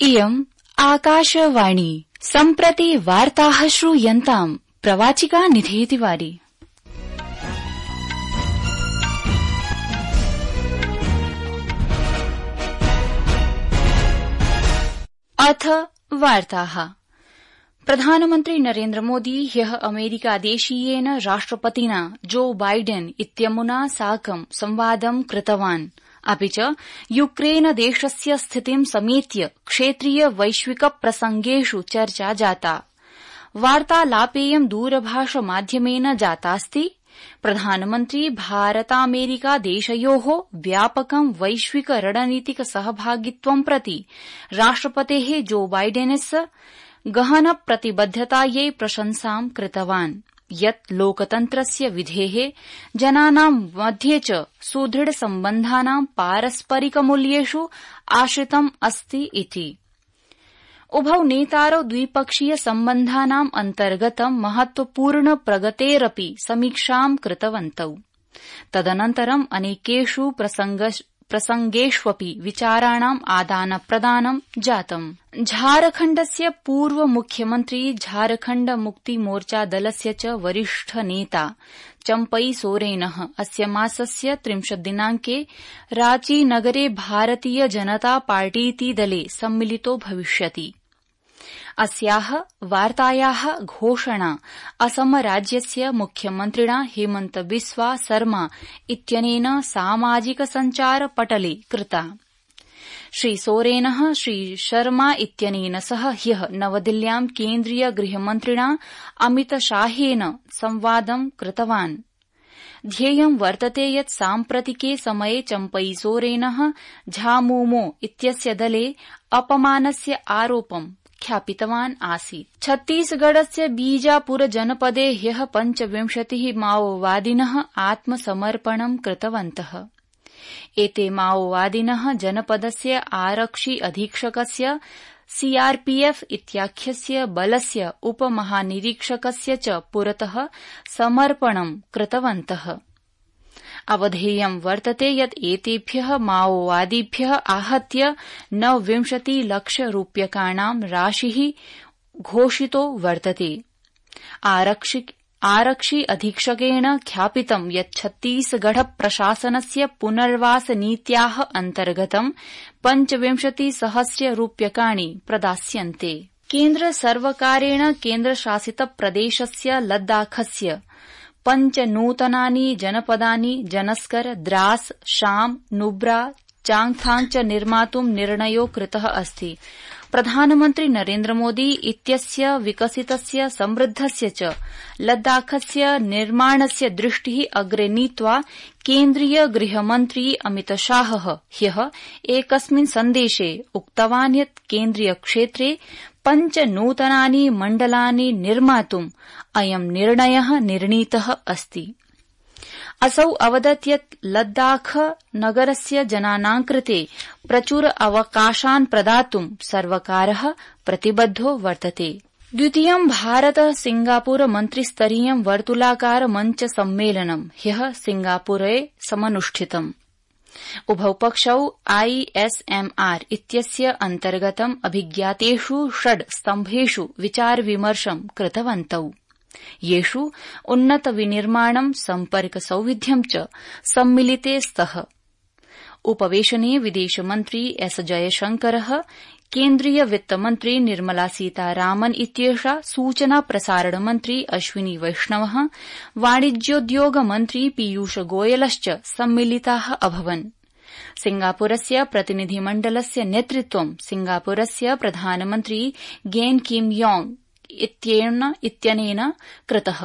इयम् आकाशवाणी सम्प्रति वार्ताः श्रूयन्ताम् प्रवाचिका निधि तिवारी। अथ वार्ताः। प्रधानमन्त्री नरेन्द्र मोदी ह्यः अमेरिकादेशीयेन राष्ट्रपतिना जो बाइडेन इत्यमुना साकं संवादं कृतवान्। अपि च यूक्रेन देशस्य स्थितिं समेत्य क्षेत्रीय वैश्विक प्रसंगेषु चर्चा जाता। वार्तालापेयं दूरभाष माध्यमेन जातास्ति। प्रधानमन्त्री भारतामेरिका देशयोः व्यापकं वैश्विक रणनीतिक सहभागित्वं प्रति राष्ट्रपतेः जो बाइडेनस्य गहन प्रतिबद्धतायै प्रशंसां कृतवान्, यत् लोकतन्त्रस्य विधेः जनानां मध्ये च सुदृढ सम्बन्धानां पारस्परिकमूल्येषु आश्रितम् अस्ति इति। उभौ नेतारौ द्विपक्षीय सम्बन्धानां अन्तर्गतं महत्वपूर्ण प्रगतेरपि समीक्षां कृतवन्तौ। तदनन्तरं अनेकेषु प्रसंगेष्वपि विचाराणाम् आदानप्रदानं जातम्। झारखण्डस्य पूर्व मुख्यमन्त्री झारखण्ड मुक्ति मोर्चा दलस्य च वरिष्ठ नेता चम्पई सोरेनः अस्य मासस्य 30 दिनाङ्के रांची नगरे भारतीय जनता पार्टीति दले सम्मिलितो भविष्यति। अस्याः वार्तायाः घोषणा असम राज्यस्य मुख्यमन्त्रिणा हेमन्त बिस्वा शर्मा इत्यनेन सामाजिक सञ्चार पटले कृता। श्री सोरेनः श्री शर्मा इत्यनेन सह ह्यः नवदिल्ल्यां केन्द्रीय गृहमन्त्रिणा अमित शाहेन संवादं कृतवान्। ध्येयं वर्तते यत् साम्प्रतिके समये चम्पई सोरेनः झामुमो इत्यस्य दले अपमानस्य आरोपं ख्यापितवान् आसीत्। छत्तीसगढ़स्य बीजापुर जनपदे ह्यः 25 माओवादिनः आत्मसमर्पणं कृतवन्तः। एते माओवादिनः जनपदस्य आरक्षि अधीक्षकस्य सीआरपीएफ इत्याख्यस्य बलस्य उपमहानिरीक्षकस्य च पुरतः समर्पणं कृतवन्तः। अवधेयं वर्तते यत् एतेभ्यः माओवादिभ्यः आहत्य 29 लाख रूप्यकाणां राशिः घोषितो वर्तते। आरक्षि अधीक्षकेण ख्यापितं यत् छत्तीसगढ़ प्रशासनस्य पुनर्वास नीत्याः अन्तर्गतं 25,000 रूप्यकाणि प्रदास्यन्ते। केन्द्र सर्वकारेण केन्द्रशासित प्रदेशस्य लद्दाखस्य 5 नूतनानि जनपदानि जनस्कर, द्रास, शाम, नुब्रा, चांगथांग च निर्मातुं निर्णयो कृतः अस्ति। प्रधानमन्त्री नरेन्द्र मोदी इत्यस्य विकसितस्य समृद्धस्य च लद्दाखस्य निर्माणस्य दृष्टिः अग्रे नीत्वा केन्द्रीय गृहमन्त्री अमित शाहः ह्यः एकस्मिन् सन्देशे उक्तवान् यत् केन्द्रीय क्षेत्रे 5 नूतनानि मण्डलानि निर्मातुम् अयं निर्णयः निर्णीतः अस्ति। असौ अवदत् यत् लद्दाख नगरस्य जनानां कृते प्रचुर अवकाशान् प्रदातुं सर्वकारः प्रतिबद्धो वर्तते। द्वितीयं भारत सिंगापुर मन्त्रिस्तरीयं वर्तुलाकार मञ्च सम्मेलनं ह्यः सिंगापुरे समनुष्ठितम्। उभौ पक्षौ आईएसएमआर इत्यस्य अन्तर्गतम् अभिज्ञातेषु 6 स्तम्भेषु विचार विमर्शं कृतवन्तौ, येषु उन्नत विनिर्माणं, सम्पर्क सौविध्यं च सम्मिलिते स्तः। उपवेशने विदेशमन्त्री एस जयशंकरः, केन्द्रीय वित्तमन्त्री निर्मला सीतारामन् इत्येषा, सूचना प्रसारण मन्त्री अश्विनी वैष्णवः, वाणिज्योद्योग मन्त्री पीयूष गोयलश्च सम्मिलिताः अभवन्। सिंगापुरस्य प्रतिनिधिमण्डलस्य नेतृत्वं सिंगापुरस्य प्रधानमन्त्री गेन किम योंग इत्यनेन कृतः।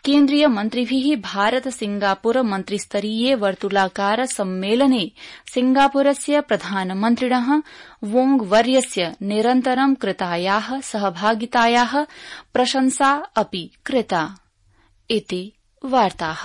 केन्द्रीय मन्त्रिभिः भारत सिंगापुर मन्त्रिस्तरीये वर्तुलाकार सम्मेलने सिंगापुरस्य प्रधानमन्त्रिणः वोंग वर्यस्य निरन्तरं कृतायाः सहभागितायाः प्रशंसा अपि कृता। इति वार्ताः।